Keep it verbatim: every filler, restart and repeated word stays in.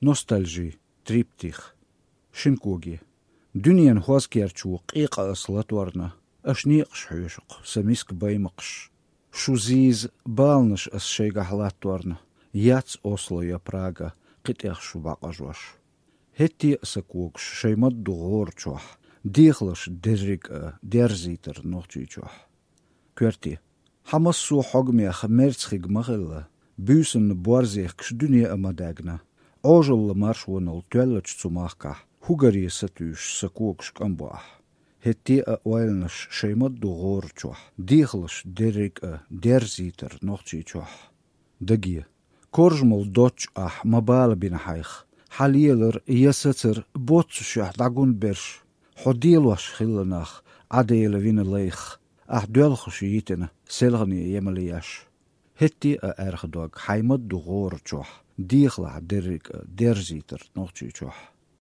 Ностальжи, триптих. Шин коги. Дуьненан хӀозкерчо къекъа ас латорна, аша некъаш хьоьшу-кх, сан миска баймакхаш. Шу зийза баланаш ас шайгахь латторна, яц Осло я Прага кхин тӀех шу бӀакъажош. ХӀетте а сан когаш шайн ма-дду гӀора чохь, дехалаш дерриг а дерзийтар Нохчийчохь. Коьрте. Хьан массо а хьогамех мерза хиг ма хилла, буьйсанна борз ехкаш дуьне а ма даьгна. Ӏожалла маршонал тоьллачу цу махкахь, хӀугаре сатуьйсуш сан когаш кӀам бо ахь. ХӀетте а ойланаш шайн ма-дду гӀора чохь, дехалаш дерриг а дерзийтар Нохчийчохь. Даге. Коржа мел доццуш ахь ма бала бина хьайх. Хьан лелар я сацар боццушехь дӀагун берш. Хьо делош хилла нах, Ӏа Дела вина лайх, ахь доьлхуш йитина, селхане емал еш. ХӀетте а аьрха дог хьайн ма-дду гӀора чохь, дехалахь дерриг а дерзийтар Нохчийчохь.